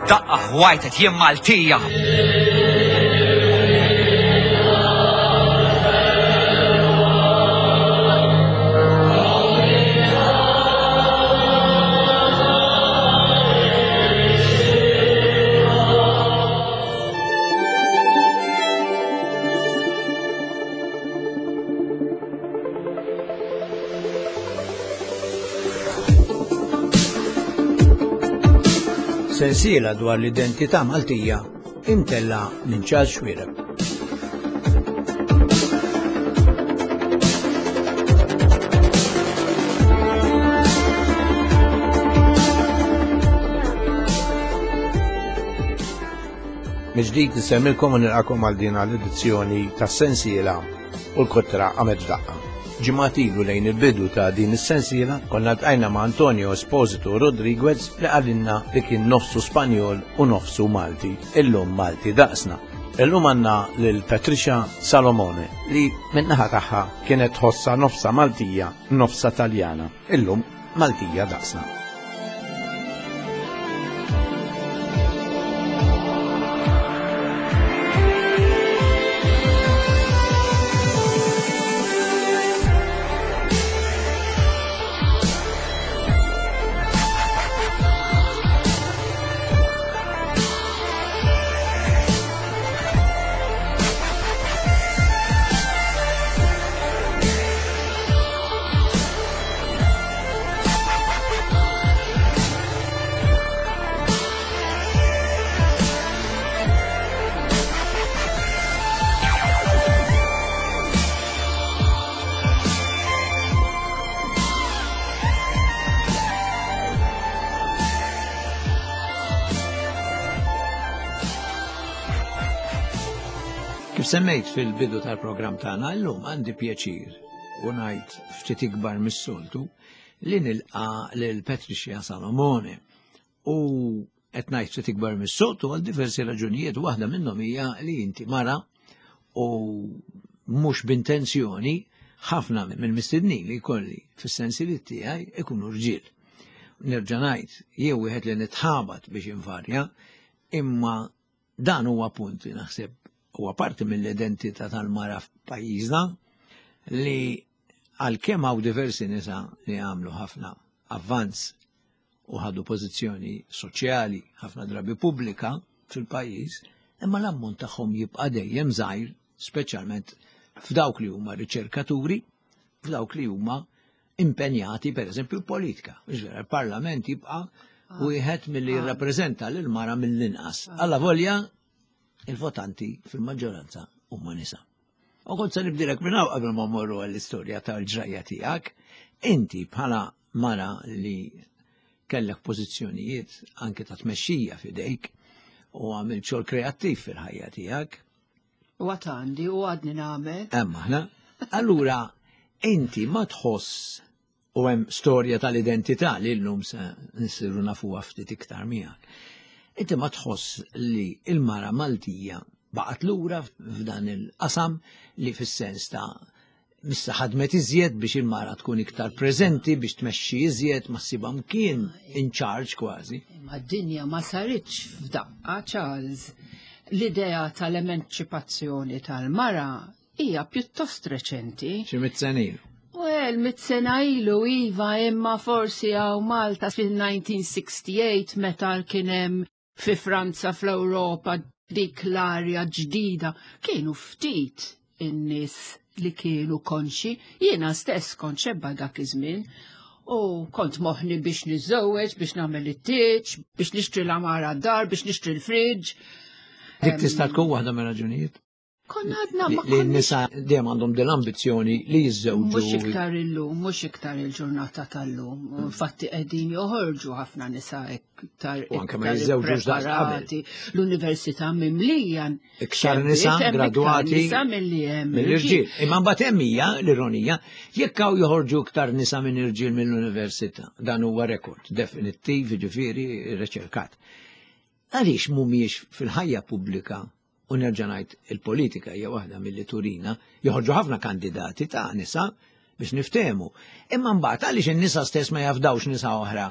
F'daqqa ħwajtet jien Maltija. Sensiela dwar l-identità Maltija imtella minn Charles Xuereb. Mill-ġdid nsemmilkom u nilqakom għal din l-edizzjoni tas-sensiela u l-kotra għamet f'daqqa. Ġimgħat ilu lejn il-bidu ta' din is-sensiela konna ltqajna ma' Antonio Esposito Rodriguez li qalilna li kien nofsu Spanjol u nofsu Malti, illum Malti daqsna. Illum għandna lil Patricia Salomone li min-naħa tagħha kienet tħossha nofsa Maltija, nofsa Taljana. Illum Maltija daqsna. Kif semmejt fil-bidu tal-programm tagħna llum għandi pjaċir u ngħid ftit ikbar mis-soltu li nilqa' lil Patricia Salomone. U qed ngħid ftit ikbar mis-soltu għal diversi raġunijiet, waħda minnhom hija li inti mara u mhux b'intenzjoni ħafna mill-mistednin li jkolli fis-sensiliet tiegħi ikunu rġiel. Nerġa' ngħid, jew wieħed li nitħabat biex invarja, imma Dan huwa punt li naħseb huwa parti mill-identità tal-mara f'pajjiżna li għalkemm hawn diversi nisa li għamlu ħafna avvanz u ħadu pożizzjoni soċjali ħafna drabi pubblika fil-pajjiż, imma l-ammont tagħhom jibqa' dejjem żgħir, speċjalment f'dawk li huma riċerkaturi, f'dawk li huma impenjati per eżempju politika. Il-parlament jibqa' ah. wieħed milli ah. jirrappreżenta lil mara mill-inqas. Ah. Alla volja il-votanti fil-maġġoranza huma nisa. U kont se nibdilek minn hawn qabel ma mmorru għall-istorja tal-ġrajja tiegħek, inti bħala mara li kellek pożizzjonijiet anke ta' tmexxija f'idejk u għamil xogħol kreattiv fil-ħajja tiegħek, U għad għandi u għadni nagħmel. Hemm aħna. Allura, inti ma tħoss u hemm storja tal-identità li llum se nsiru nafuha ftit iktar miegħek. Inti ma tħoss li l-mara Maltija baqgħet lura f'dan il-qasam li fis-sens ta' Missa ħadmet iżjed biex il-mara tkun iktar preżenti biex tmexxi iżjed ma ssibha mkien in charge kważi. Imma d-dinja ma saritx f'daqqa, Charles. L-idea tal-emanċipazzjoni tal-mara hija pjuttost reċenti. Xi mit sena ilu. Well, mit sena ilu iva, imma forsi hawn Malta fil-1968 meta kien hemm fi Franza fl-Ewropa dik l-arja ġdida kienu ftit in-nies li kienu konxi, jiena stess kont xebba dak iż-żmien u kont moħni biex niżżewweġ, biex nagħmel it-tieġ, biex nixtri l-amara d-dar, biex nixtri l-friġġ. Dik tista' tkun waħda mir-raġunijiet. Konna għadna ma Li n-nisa dejjem għandhom din l-ambizzjoni li jiżżewġu. Mhux iktar illum, mhux iktar il-ġurnata tal-lum. Infatti qegħdin joħorġu ħafna nisa iktar U anke ma jiżżewġux daqs qabel. L-università mimlija. Iktar nisa gradwati nisa milli hemm mill-irġiel. Imma mbagħad hemm hija l-ironija, jekk hawn joħorġu iktar nisa minn irġiel mill-università, dan huwa rekord definittiv, jiġifieri riċerkat. Għaliex mhumiex fil-ħajja pubblika U nerġa' ngħid il-politika hija waħda milli turina, joħorġu ħafna kandidati ta' nisa biex niftehmu. Imma mbagħad għaliex in-nisa stess ma jafdawx nisa oħra?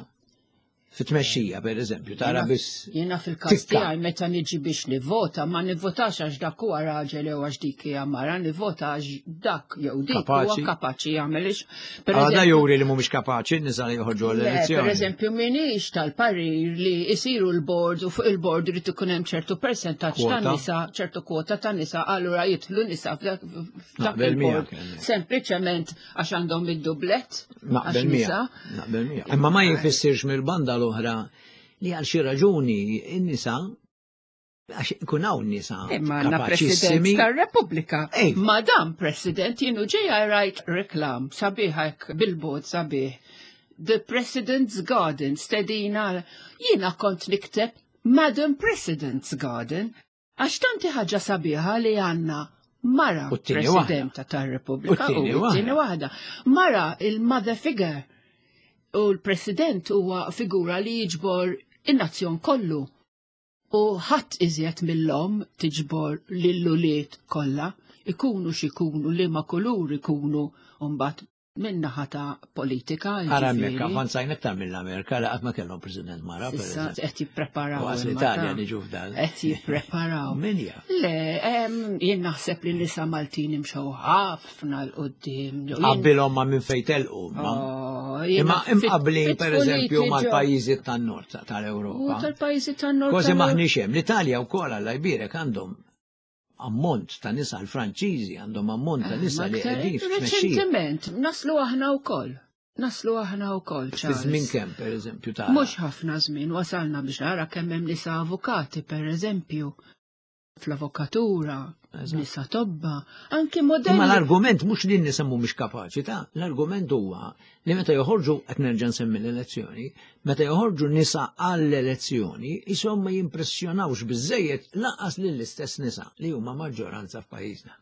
Fit-tmexxija, per eżempju, tara biss. Jiena fil-każ tiegħi meta niġi biex nivvota, ma nivvotax għax dak huwa raġel jew għax dik hija mara, nivvota għax dak jew dik huwa kapaċi jagħmel ix. Għada juri li mhumiex kapaċi nisa li joħorġu l-elezzjoni. Per eżempju, minix tal-parir li jsiru l-board u fuq il-board irid ikun hemm ċertu persentaġġ ta' nisa, ċertu kwota ta' nisa, allura jidħlu nisa f'dak il-board. Sempliċement għax għandhom id-dublet. Naqbel mija. Naqbel mija. Imma ma jfissirx mill-banda l-oħra li għal xi raġuni n-nisa għax ikun hawn nisa. Imma għandna President tar-Repubblika. Madam President, jienu ġejja rajt reklam sabiħ hekk billboard sabiħ. The President's Garden stedina jiena kont nikteb Madam President's Garden Għax tanti ħaġa sabiħa li għandna mara presidenta tar-Repubblika u t-tieni waħda. Mara il-mother figure u l-president huwa figura li jiġbor in-nazzjon kollu. U ħadd iżjed mill-om tiġbor lill-ulied kollha, ikunu x'ikunu liema kulur ikunu mbagħad Min-naħa ta' politika. Ara hemmhekk avvanzajna aktar mill-Amerika li qatt ma kellhom President mara. Issa qed jippreparaw. Għas l-Italja niġu f'dan. Qed jippreparaw. Min jaf? Le, jien naħseb li nisa Maltin imxew ħafna l qudiem Qabbilhom ma' minn fejn telqu. Oh, Imma imqablin pereżempju mal-pajjiżi tan-nord tal-Ewropa. Tal-pajjiżi tan-nord. Kważi maħniex hemm. L-Italja wkoll Alla jbierek għandhom ammont ta' nisa l-Franċiżi għandhom ammont ta' nisa li qegħdin Reċentement, naslu aħna wkoll. Naslu aħna wkoll. Fi żmien kemm, pereżempju, ta' Mhux ħafna żmien wasalna biex nara kemm hemm nisa avukati, pereżempju, fl-avokatura, nisa tobba, anki modelli. Ma l-argument mhux li n-nisa mhumiex kapaċi ta' l-argument huwa li meta joħorġu qed nerġa' nsemmi l-elezzjoni, meta joħorġu nisa għall-elezzjoni, isom ma jimpressjonawx biżejjed laqas lill-istess nisa li huma maġġoranza f'pajjiżna.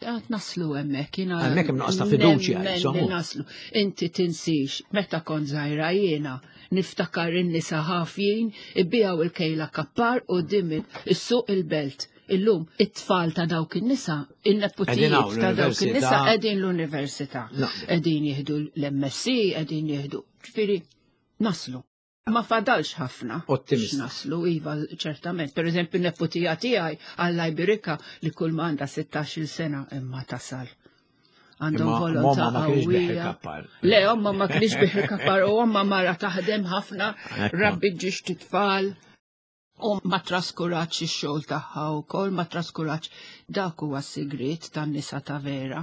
Għat naslu hemmhekk jiena. Hemmhekk hemm nuqqas ta' fiduċja, insomma. Naslu. Inti tinsix, meta kont żgħira jiena niftakar in-nisa ħafjin ibbijaw il-kejla kappar u dim is-suq il-belt. Illum it-tfal ta' dawk in-nisa, in-neputijiet ta' dawk in-nisa qegħdin l-università. Qegħdin jieħdu l-MSc, qegħdin jieħdu. Ġifieri naslu. Ma fadalx ħafna. Ottimist. Naslu, iva, ċertament. Per eżempju, neputija tiegħi għalla jbirika li kull ma għandha 16-il sena imma tasal. Għandhom volontà qawwija. Le, omma ma kienx biħi kappar u omma mara taħdem ħafna, rabbi ġiex titfal. U ma traskurax ix-xogħol tagħha wkoll, ma traskurax dak huwa s-sigriet tan-nisa ta' vera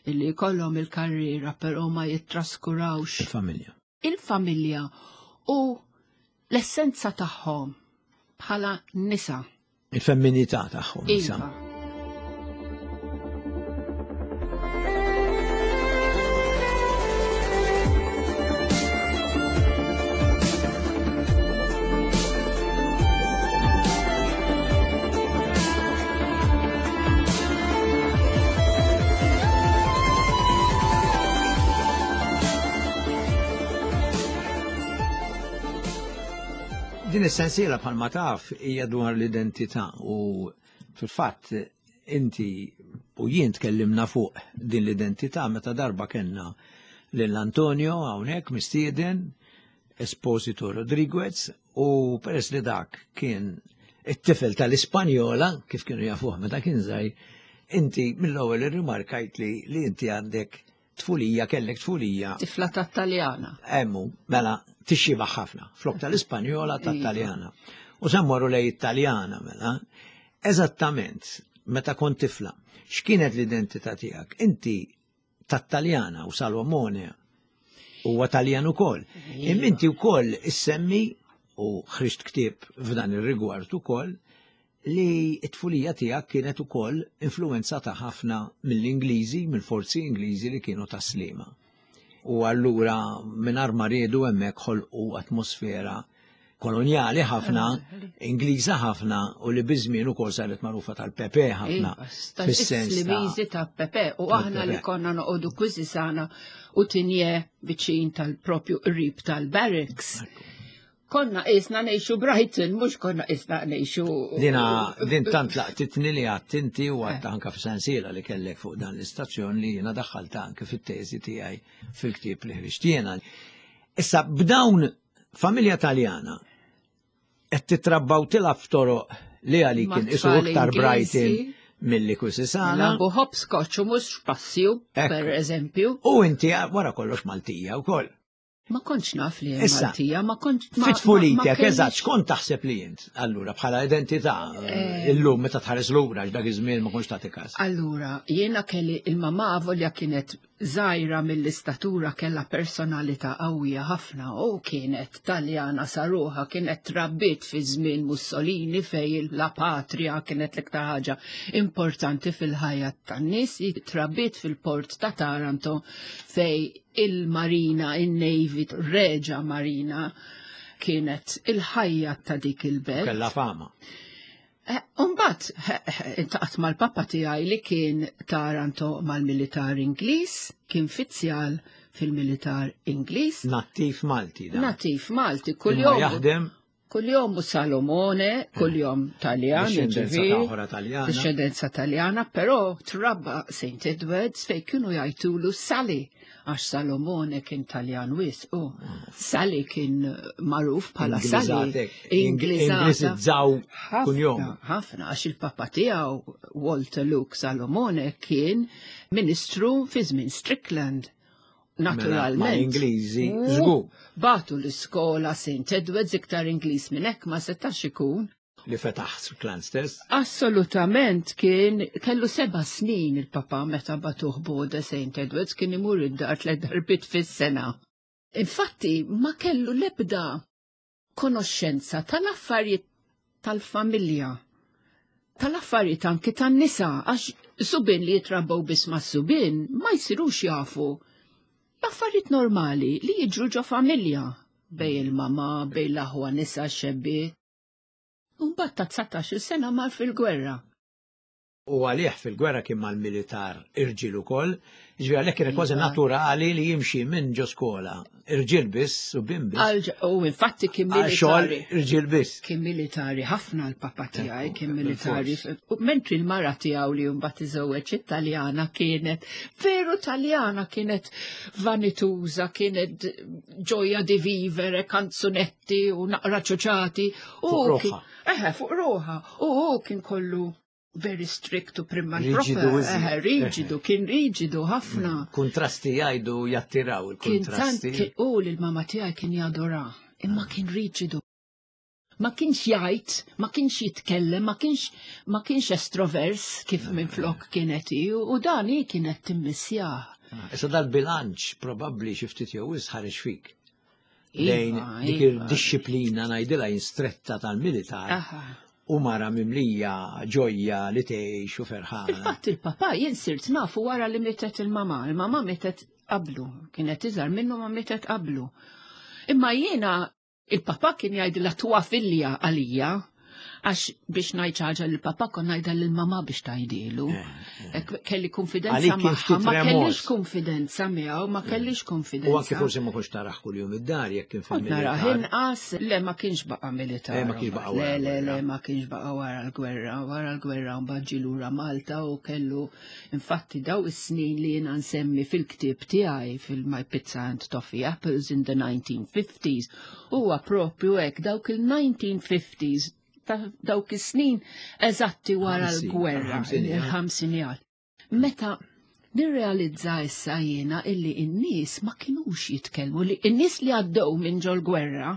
illi jkollhom il-karriera però ma jittraskurawx il-familja. Il-familja u l-essenza tagħhom bħala nisa. Il-femminità tagħhom. Iva. Din is-sensiela bħalma taf hija dwar l-identità u Fil-fatt, inti u jien tkellimna fuq din l-identità meta darba kellna lil Antonio hawnhekk mistieden Esposito Rodriguez u peress li dak kien it-tifel tal-Ispanjola kif kienu jafuh meta kien żgħir, inti mill-ewwel irrimarkajt li li inti għandek tfulija, kellek tfulija. Tifla tat-Taljana. Emmu, mela, tixxiba ħafna, flok tal-Ispanjola iva. tat-Taljana. U semmorru lej it-Taljana, mela. Eżattament, meta kont tifla, x'kienet l-identità tiegħek? Inti tat-Taljana u Salomone huwa Taljan ukoll. Iva. Imma inti wkoll issemmi u ħriġt ktieb f'dan ir-rigward ukoll li t-tfulija tiegħek kienet ukoll influwenzata ħafna mill-Ingliżi, mill-forzi Ingliżi li kienu tas-Sliema. U allura mingħajr ma riedu hemmhekk ħolqu atmosfera kolonjali ħafna, Ingliża ħafna u li biż-żmien ukoll saret magħrufa tal-Pepe ħafna. Iva, fis-sens ta' Pepe u aħna li konna noqogħdu kwiżi sana u tinje viċin tal-propju qrib tal-barracks. Konna qisna ngħixu Brighton, mhux konna qisna ngħixu. Dina, din tant laqtitni li għadt inti u għadt anka f'sensiela li kellek fuq dan l-istazzjon li jiena daħħalta anke fit-teżi tiegħi fil-ktieb li ħriġt jiena. Issa b'dawn Familja Taljana qed titrabba u tilgħab f'toroq li għalik kien isu iktar Brighton milli Kusisana. Labu hopscotch u mhux passju, per eżempju. U inti wara kollox Maltija wkoll. Ma kontx naf li Maltija, ma kontx. Fit-tfulitek, eżatt, x'kont taħseb li int, allura, bħala identità, eh, illum meta tħares lura dak iż-żmien ma kontx tagħti każ. Allura, jiena kelli il-mamà volja kienet żgħira mill-istatura kellha personalità qawwija ħafna u kienet Taljana sa ruħha, kienet trabbiet fi żmien Mussolini fejn la patria kienet l-iktar ħaġa importanti fil-ħajja tan-nies, trabbiet fil-port ta' Taranto fejn il-marina, in-navy, reġa marina kienet il-ħajja ta' dik il-belt. Kellha fama. Eh, Umbat, intaqat mal-papa tiegħi li kien Taranto mal-militar Ingliż, kien fizzjal fil-militar Ingliż. Nattiv Malti da. Nattiv Malti, kuljum. Jaħdem. Kuljum u Salomone, eh. kuljum Taljan. Discendenza Taljana. Discendenza Taljana, però trabba St. Edwards fej kienu jgħidulu Sally għax Salomone kien Taljan wis u Sally kien magħruf bħala Sally. Ingliżizzaw kuljum. Ħafna għax il-papa tiegħu Walter Luke Salomone kien ministru fi żmien Strickland. Mela, Naturalment. Ingliżi, żgur. Batu l-iskola St. Edwards iktar Ingliż minn hekk ma setax ikun li fetaħ Strickland stess? Assolutament kien kellu seba' snin il-papa meta batuh Bode St. Edwards kien imur id-dar tliet darbiet fis-sena. Infatti ma kellu l-ebda konoxxenza tal-affarijiet tal-familja, tal-affarijiet anki tan-nisa, għax subien li jitrabbew biss mas-subien ma jsirux jafu l-affarijiet normali li jiġru ġo familja bej il-mama, bej l-aħwa nisa xebbiet. U mbagħad ta' 19-il sena mar fil-gwerra. U għalih fil-gwerra kien mal-militar irġiel ukoll, jiġifieri għalhekk kienet kważi iva. naturali li jimxi minn ġo skola. Irġiel biss u bin biss. U infatti kien militari. Irġiel biss. Kien militari ħafna l-papa tiegħi, kien militari. Mentri l-mara tiegħu li mbagħad iżewweġ Italjana kienet veru Taljana kienet vanituża, kienet ġoja di vivere, kanzunetti ċuċati u naqra ċuċati. Fuq ruħa. Eħe, fuq ruħa. U hu kien kollu very strict u primma Riġidu. Eħe, riġidu, kien riġidu ħafna. Mm. Kontrasti jgħidu jattiraw il-kontrasti. U l-mama tiegħi kien jadora, imma kien riġidu. Ma kienx jgħid, ma kienx jitkellem, ma kienx ma kienx estrovers kif minn flok kienet u dan hi kienet timmissjah. Ah, issa dal-bilanċ probabbli xi ftit jew ħareġ fik. lejn iva, dik iva. il-disciplina ngħidilha jinstretta tal-militar. U mara mimlija ġojja li tgħix u ferħana. Fil-fatt il-papa jien sirt nafu wara li mietet il-mama. Il-mama mietet qablu, kienet iżgħar minnu ma mietet qablu. Imma jiena il-papa kien jgħidilha tuwa filja għalija Għax biex ngħid xi ħaġa lill-papà kont ngħidha lill-mamà biex tgħidilu. Eh, eh. Kelli konfidenza magħha, ma kellix konfidenza miegħu, ma eh. kellix konfidenza. U anke forsi ma kontx taraħ kuljum id-dar jekk kien fil Narah inqas, le ma kienx baqa' militar. Ma kienx baqa' wara. Le, le, le, ma kienx baqa' wara l-gwerra. Wara l-gwerra mbagħad ġie lura Malta u kellu infatti daw is-snin li jiena nsemmi fil-ktieb tiegħi fil-My Pizza and Toffee Apples in the 1950s Huwa propju hekk dawk il-1950s ta' dawk is-snin eżatti wara l-gwerra, il-ħamsinijat. Meta nirrealizza issa jiena illi n-nies ma kinux jitkellmu li n-nies li għaddew minn ġol gwerra,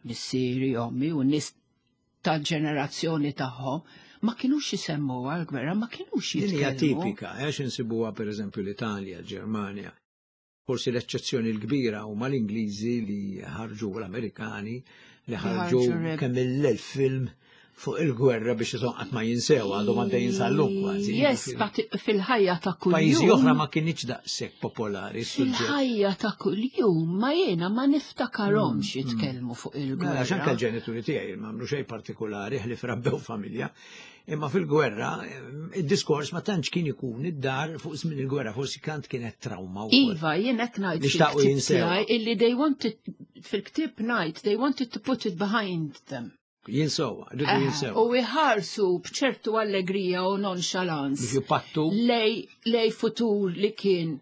missieri, ommi u n-nies tal-ġenerazzjoni tagħhom, ma kinux jisemmu għal-gwerra, ma kinux jitkellmu. Din hija tipika, għax insibuha pereżempju l-Italja, l-Ġermanja. Forsi l-eċċezzjoni l-kbira huma l-Ingliżi li ħarġu l-Amerikani li ħarġu kemm il-elf film fuq il-gwerra biex qatt ma jinsew għadhom għaddejjin sal-lum kważi. Yes, but fil-ħajja ta' kuljum. Pajjiżi oħra ma kienx daqshekk popolari. Fil-ħajja ta' kuljum ma jiena ma niftakarhomx mm, mm. jitkellmu fuq il-gwerra. Mela xanka l-ġenituri tiegħi ma għamlu xejn partikolari ħli frabbew familja. Imma fil-gwerra, id-diskors ma tantx kien ikun id-dar fuq żmien il-gwerra, forsi kant kienet trauma wkoll. Iva, jien qed ngħid Nixtaqu jinsew. Illi they wanted fil-ktieb ngħid they wanted to put it behind them. Jinsew, rridu eh, jinsew. U iħarsu b'ċertu allegrija u nonchalance. Biex jipattu. Lej, lej futur li kien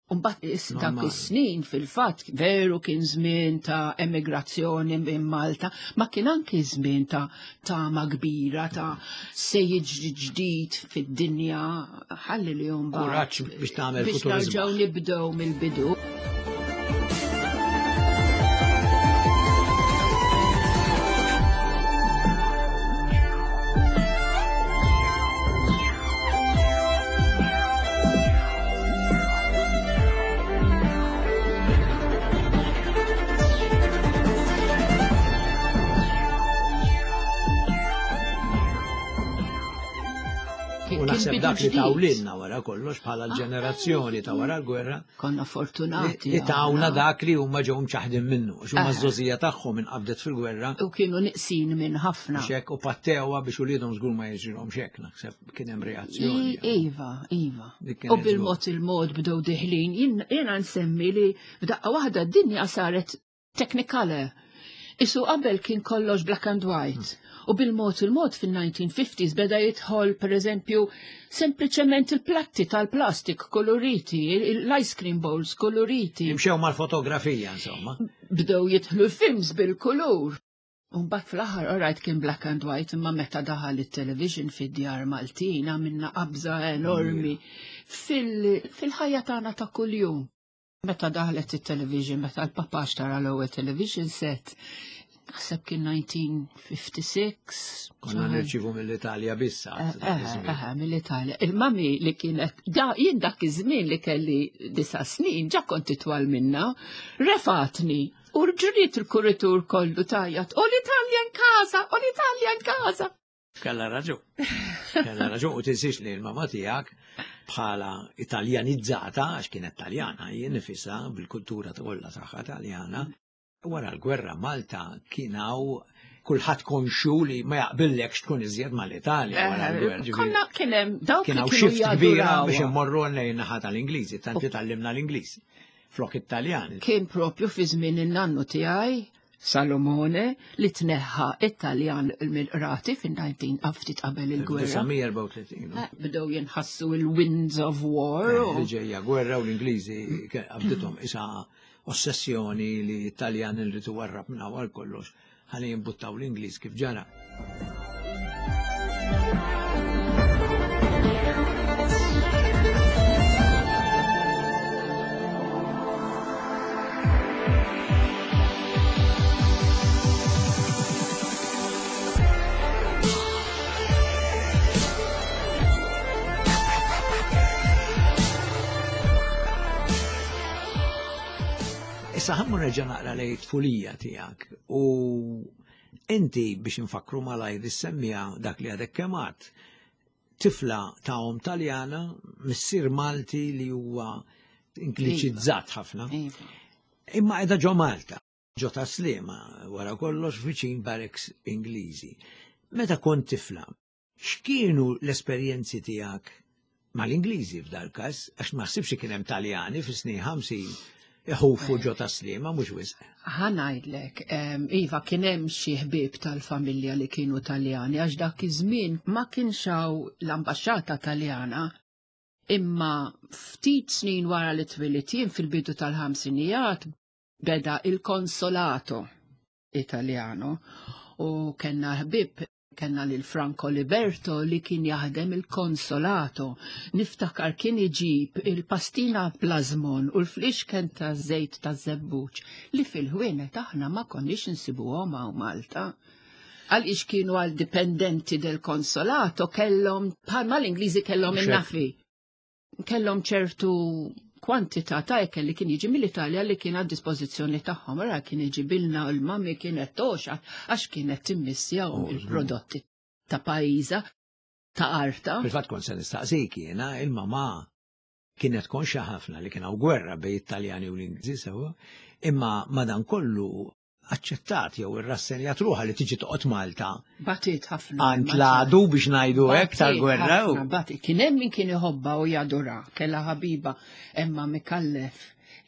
Umbat dak is-snin fil-fatt veru kien żmien ta' emigrazzjoni minn Malta, ma kien anki żmien ta' tama kbira ta' se jiġri ġdid fid-dinja ħalli li mbagħad. Kuraġġ biex tagħmel biex nerġgħu nibdew mill-bidu. U naħseb dak li tawlilna wara kollox bħala l-ġenerazzjoni ta' wara l-gwerra. Konna fortunati. Li tawna dak li huma ġew mċaħdin minnu, għax huma ż-żożija tagħhom inqabdet fil-gwerra. U kienu niqsin minn ħafna. Xek u pattewa biex uliedhom żgur ma jiġrilhom xek, naħseb kien hemm reazzjoni. Iva, iva. U bil-mod il-mod bdew diħlin, jiena nsemmi li f'daqqa waħda d-dinja saret technicolor. Isu qabel kien kollox black and white. U bil-mod il-mod fil-1950s beda jidħol, per eżempju, sempliċement il-platti tal-plastik koloriti, l-ice cream bowls koloriti. Imxew mal-fotografija, insomma. Bdew jidħlu films bil-kulur. Umbat fl-aħħar alright kien black and white imma meta daħal it-television fid-djar Maltin għamilna qabża enormi fil-ħajja tagħna ta' kuljum. Meta daħlet it-television, meta l-papà xtara l-ewwel television set, naħseb kien 1956. Konna nirċivu mill-Italja biss. Eh, eh, eh, mill-Italja. Il-mami li kienet, jien dak iż-żmien li kelli disa' snin, ġa kont itwal minna, refatni U ġuriet il-kuritur kollu tajjat, u l-Italja in casa, u l-Italja in casa. Kella raġun. Kella raġun u tinsiex li l-mama tiegħek bħala italjanizzata, għax kienet taljana, jien nifisha bil-kultura kollha tagħha taljana. Wara l-gwerra Malta kien hawn kulħadd konxu li ma jaqbillekx tkun iżjed mal-Italja wara eh, l-gwerra. Konna kien hemm dawk kien hawn xift kbira biex immorru lejn naħa tal-Ingliżi, tant li tallimna l-Ingliż. flok it-Taljan. Kien propju fi żmien in-nannu tiegħi Salomone li tneħħa it-Taljan mill-qrati fin-19 ftit qabel il-gwerra. 1934. Eh, bdew jinħassu il-winds of war. Eh, li ġejja gwerra u l-Ingliżi qabdithom isa ossessjoni li t-Taljan li warrab minn għal kollox ħalli jimbuttaw l-Ingliż kif ġara. Issa ħammu nerġa' naqra lej tfulija tiegħek u inti biex nfakru malajr issemmija dak li għadek kemm għadt. Tifla ta' om Taljana, missier Malti li huwa ingliċizzat iva. ħafna. Iva. Imma qiegħda ġo Malta, ġo ta' Sliema, wara kollox viċin barracks Ingliżi. Meta kont tifla, X'kienu l-esperjenzi tiegħek mal-Ingliżi f'dal-każ, għax ma ħsibx li kien hemm Taljani fis-snin 50 iħufu ġo Tas-Sliema mhux wisq. Ħa ngħidlek, iva kien hemm xi ħbieb tal-familja li kienu Taljani għax dak iż-żmien ma kienx hawn l-ambaxxata Taljana. Imma ftit snin wara li twilidt jien fil-bidu tal-ħamsinijat beda il-konsolato Italjano u kellna ħbieb Kellna lil Franco Liberto li kien jaħdem il-konsolato. Niftakar kien iġib il-pastina plażmon u l-flixken ta' żejt ta' żebbuġ li fil-ħwienet aħna ma konniex insibuhom hawn Malta. Għaliex kienu għal dipendenti del konsolato kellhom bħalma l-Ingliżi kellhom in-nafi. Kellhom ċertu kwantità ta' ikel li kien jiġi mill-Italja li kien għad dispożizzjoni tagħhom. Ara kien iġibilna u l-mami kienet toxa għax kienet timmissjahom oh, il-prodotti ta' pajjiża ta' arta. Fil-fatt kont se nistaqsik jiena il-mama kienet konxa ħafna li kien hawn gwerra bejn it-Taljani u l-Ingliżi sewwa, imma madankollu aċċettat jew irrassenjat ruħha li tiġi toqgħod Malta. Batit ħafna. Għand l-għadu biex ngħidu hekk tal-gwerra. Batit. Kien hemm min kien iħobba u jadura, kellha ħabiba Emma Mikallef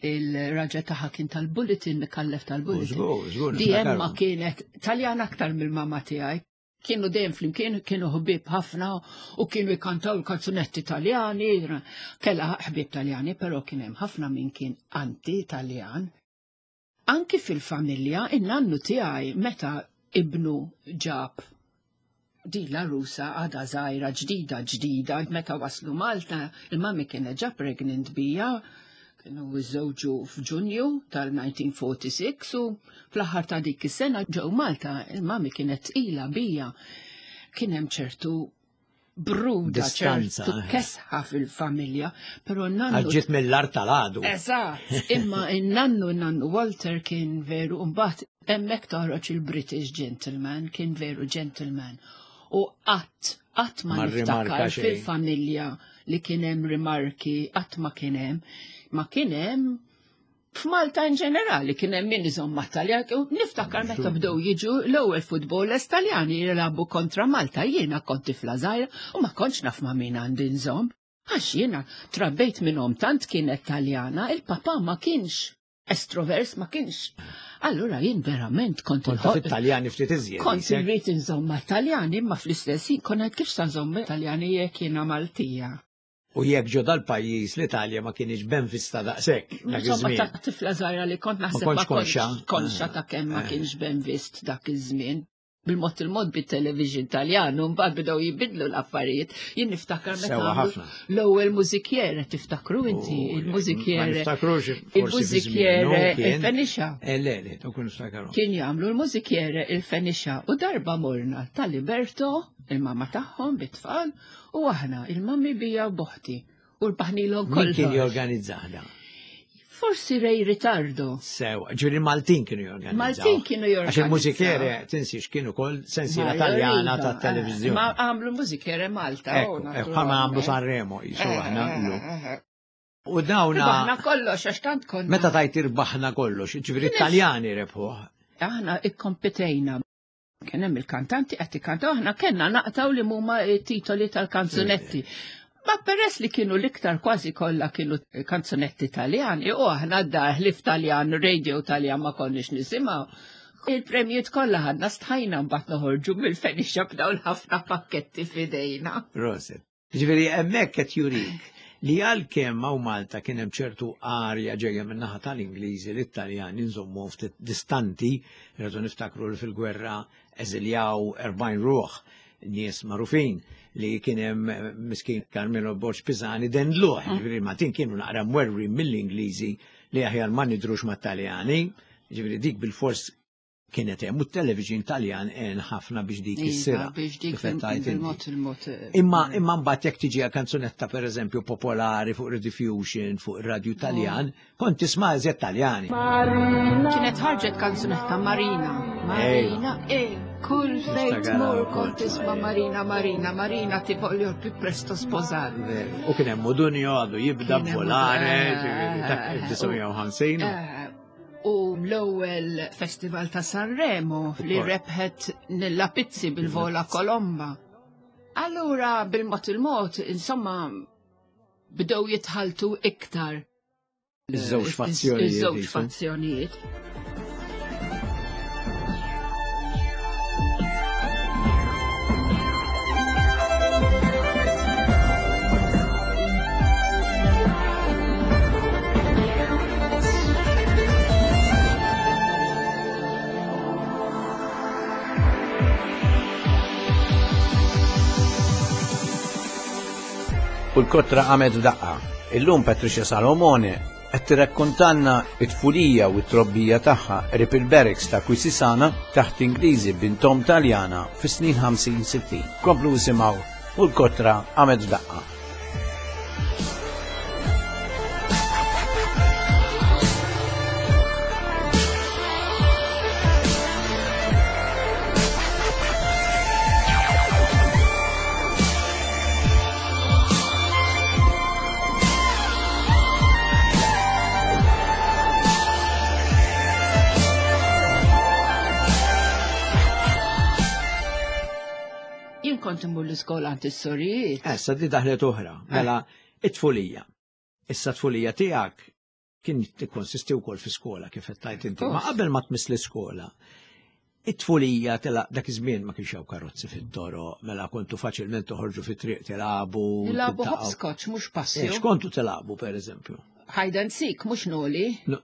il-raġa tagħha kien tal-bulletin, Mikallef tal-bulletin. Di Emma kienet Taljan aktar mill-mama tiegħi. Kienu dejjem flimkien, kienu ħbieb ħafna u kienu jkantaw il-kanzunetti Taljani, kellha ħbieb Taljani, però kien hemm ħafna min kien anti-Taljan. Anki fil-familja, in-nannu tiegħi meta ibnu ġab din l-għarusa għadha żgħira ġdida ġdida, meta waslu Malta, il-mami kienet ġa pregnant bija, kienu żżewġu f'Ġunju tal-1946 u fl-aħħar ta' dik is-sena ġew Malta, il-mami kienet tqila bija. Kien hemm ċertu bruda, Distanza, ċertu eh. kesħa fil-familja, però n-nannu Għax ġiet mill-art tal-għadu. Eżatt, imma in-nannu nannu Walter kien veru mbagħad hemmhekk toħroġ il-British gentleman, kien veru gentleman. U qatt qatt ma Ma rrimarka niftakar xejn. fil-familja li kien hemm rimarki, qatt ma kien hemm. Ma kien hemm f'Malta in ġenerali kien hemm min iżomm mat-Taljan u niftakar meta bdew jiġu l-ewwel futbolers Taljani jilagħbu kontra Malta, jiena kont tifla żgħira u ma kontx naf ma' min għandi nżomm. Għax jiena trabbejt minnhom tant kienet Taljana, il-papà ma kienx estrovers ma kienx. Allura jien verament kont Kont taf it-Taljani ftit iżjed. Kont isek. irrid inżomm mat-Taljani imma fl-istess ħin kont ngħid kif sa nżomm mat-Taljani jekk jiena Maltija. U jekk ġo dal-pajjiż l-Italja ma kienx ben vista daqshekk dak Insomma, iż-żmien. ta' tifla żgħira li kont naħseb kontx ma kontx konxa. konxa ta' kemm ma Eh. kienx ben vist dak iż-żmien. Bil-mod il-mod bit-television Taljan, u mbagħad bdew jibidlu l-affarijiet. Jien niftakar meta Sewa għamlu ħafna. l-ewwel mużikjere, tiftakru inti, U, il-mużikjere. Ma niftakrux forsi fi Il-mużikjere żmienu kien. il-Fenixa. Eh, le, le, dawk niftakru. Kien jagħmlu l-mużikjere il-Fenixa u darba morna tal-Liberto, il-mama tagħhom bit-tfal, u aħna il-mami bija u boħti. U rbaħnilhom Min kien kollox. jorganizzahda? Forsi Ray Ritardo. Sewa, ġifieri Maltin kienu jorganizzaw. Maltin kienu Għax jorganizzaw. il-mużikere, tinsiex, kienu kol sensiela Ma taljana Iva, ta' televizjoni. Ma għamlu mużikere Malta. Ekku, oh, ekku, bħalma għamlu Sanremo, jisu aħna llum. U dawna, Irbaħna kollox, għax tant konna. meta tajt irbaħna kollox, ġifieri Taljani rebħuh. Aħna ikkompetejna. Kien hemm il-kantanti qed ikkantaw, aħna kellna naqtaw li huma titoli tal-kanzunetti. Ma peress li kienu l-iktar kważi kollha kienu kanzunetti Taljani, u aħna d-dar ħlief Taljan, radio Taljan ma konniex nisimgħu. Il-premjiet kollha ħadna stħajna mbagħad noħorġu mill-fenixa b'dawn ħafna pakketti f'idejna. Proset. Ġifieri hemmhekk qed jurik li għalkemm hawn Malta kien hemm ċertu arja ġejja min-naħa tal-Ingliżi li t-Taljani nżommu ftit distanti, rridu niftakru li fil-gwerra eżiljaw 40 ruħ nies magħrufin li kien hemm miskin Carmelo Borg Pisani dendluh, ġifieri Maltin kienu naqra mwerri mill-Ingliżi li aħjar ma nidrux mat-Taljani, ġifieri dik bil-fors kienet hemm u t-television Taljan għen ħafna biex dik issira. Iva, biex dik kif qed tgħid inti. bil-mod il-mod. Imma imma mbagħad jekk tiġi għal kanzunetta pereżempju popolari fuq Rediffusion, fuq ir-radju Taljan, kont tisma' eżjed Taljani. Kienet ħarġet kanzunetta Marina. Marina, e, kull fejn Niftakar tmur ukoll. kont tisma' Marina, Marina, Marina ti voglio più presto sposare. Veru. U kien hemm Modunio għadu jibda Kien hemm volare, Modunio, ġifieri, dak eh, 1950. Eh, U l-ewwel Festival ta' Sanremo li Ukoll. rebħet Nilla Pizzi bil-Vola Kolomba. Allura bil-mod il-mod, insomma, bdew jitħaltu iktar. Iż-żewġ fazzjonijiet. Iż-żewġ jisu. fazzjonijiet. U l-kotra qamet f'daqqa. Illum Patricia Salomone qed tirrakkontanna it-tfulija u t-trobbija tagħha qrib il-barracks ta' Kwisisana taħt Ingliżi bintom Taljana fis-snin 50-60. Komplu isimgħu u l-kotra qamet f'daqqa. Jien kont immur l-iskola għand is-sorijiet. Issa di daħlet oħra, mela it-tfulija. Issa tfulija tiegħek kien tikkonsisti wkoll fi skola kif qed tgħid inti. Ma Of course. qabel ma tmiss l-iskola, It-tfulija tela dak iż-żmien ma kienx hawn karozzi fit-toroq, mela kontu faċilment toħorġu fit-triq tilagħbu. Nilagħbu hopscotch mhux passju. Eh, x'kontu tilagħbu pereżempju? Hide and seek mhux noli. Eh,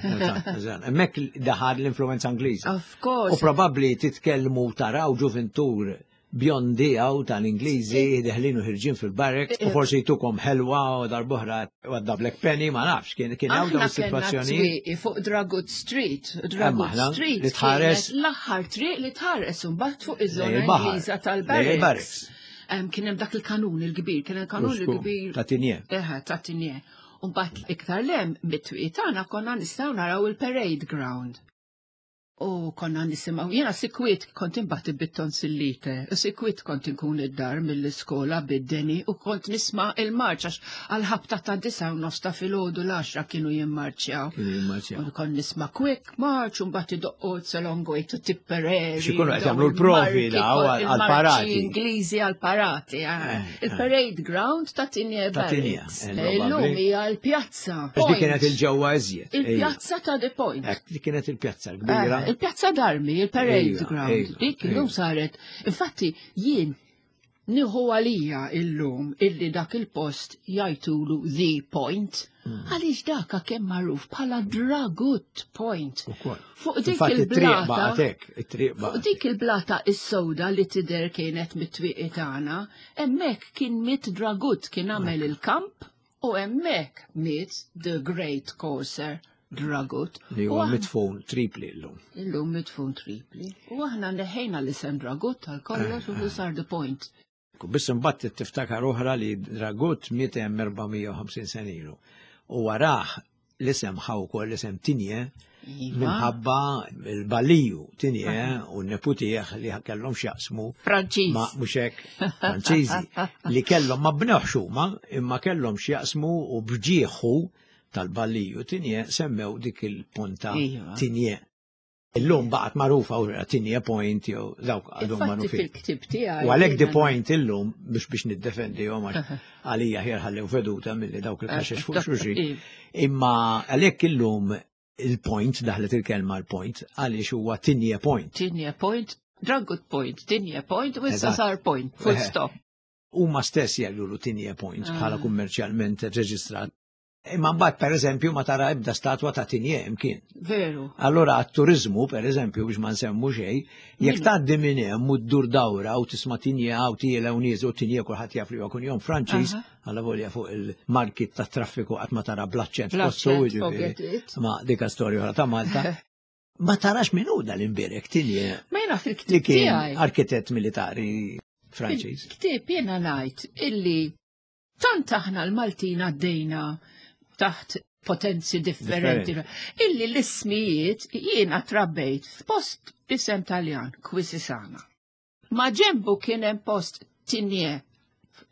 eh, Hemmhekk daħal l-influenza Ingliża. Of course. U probabbli titkellmu taraw ġuvintur bjondi għaw tal-Ingliżi deħlin u ħirġin fil-barracks u forsi jtukom ħelwa u darbohra għadda Black Penny ma nafx kien kien hawn dawn is-sitwazzjoni. Fuq Dragut Street, Dragut Street li tħares l-aħħar triq li tħares imbagħad fuq iż-żona Ingliża tal-barracks. Kien hemm dak il-kanun il-kbir, kien hemm kanun il-kbir. Ta' Tinje. Eħe, ta' Tinje. Mbagħad iktar lem mit-twieq tagħna konna nistgħu naraw il-parade ground. U konna nisimgħu, jiena sikwit kont imbagħad bit-tonsillite, u sikwit kont inkun id-dar mill-iskola bid-deni u kont nisma' il-marċ għax għal-ħabta ta' disa u nofs ta' filgħodu l-għaxra kienu jimmarċjaw. Kienu jimmarċjaw. U kont nisma' quick march u mbagħad idoqqu it's a long way to Tipperary. X'ikunu qed jagħmlu l-provi daw għall-parati. Ingliżi għall-parati. Eh. Eh, eh. Il-parade ground ta' Tinje Ta' Tinje, Barracks. Illum hija l-pjazza. Għax dik kienet il-ġewwa iżjed. Il-pjazza ta' The Point. Hekk, dik kienet il-pjazza l-kbira. Eh, il-pjazza d'armi, il-parade ground. Dik illum saret. Infatti jien nieħu għalija illum illi dak il-post jajtulu The Point. Hmm. Għaliex daka kemm magħruf bħala Dragut Point. Fuq dik il-blata. Fuq dik il-blata is-sewda li tidher kienet mit-twieqi tagħna, hemmhekk kien miet Dragut kien għamel il-kamp U hemmhekk miet the great Corsair Dragut. Li huwa mitfun tripli llum. Illum mitfun tripli. U aħna neħejna l-isem Dragut tal-kollox u sar the point. Biss imbagħad tiftakar oħra li Dragut miet hemm 450 sena ilu. U warah l-isem ħa wkoll l-isem Tinje iva. minħabba l-baliju Tinje u n-neputih li kellhom x'jaqsmu Franċiż. Ma mhux hekk Franċiżi li kellhom ma bnewx huma imma kellhom x'jaqsmu u bġieħu tal-baliju Tinje semmew dik il-ponta Iva. Tinje. Illum baqgħet magħrufa u Tinje Point jew dawk għadhom Infatti magħrufin. fil-ktib tiegħi. U għalhekk the jiena- point illum biex biex niddefendihom għax għalija ħjar ħallew veduta milli dawk il-kaxex fuq xulxin. Iva. Imma għalhekk illum il-point daħlet il-kelma l-point għaliex huwa Tinje Point. Tinje Point, Dragut Point, Tinje Point, u issa Eżatt. sar Point, full Eh. stop. Huma stess jgħidulu Tinje Point bħala Ah. kummerċjalment reġistrat. Imma mbagħad pereżempju ma tara ebda statwa ta' Tinje imkien. Veru. Allora għat-turizmu, per eżempju, biex ma nsemmu xejn, jekk tgħaddi minn hemm u ddur dawra u tisma' tinje hawn tiela u nieżu u tinje kulħadd jaf li huwa kunjom Franċiż, alla volja fuq il-marki tat-traffiku qatt ma tara bl-aċċent fossu, Bl-aċċent, jiġifieri. forget it. Ma dika storja oħra ta' Malta. Ma tarax min hu dal-imbierek tinje Ma jiena li fil-ktib kien tiegħi. arkitett militari Franċiż. Fil-ktib jiena ngħid illi tant aħna l-Maltin għaddejna taħt potenzi differenti. Illi l-ismijiet jiena trabbejt f'post b'isem Taljan, Kwisisana. Ma ġembu kien hemm post Tinje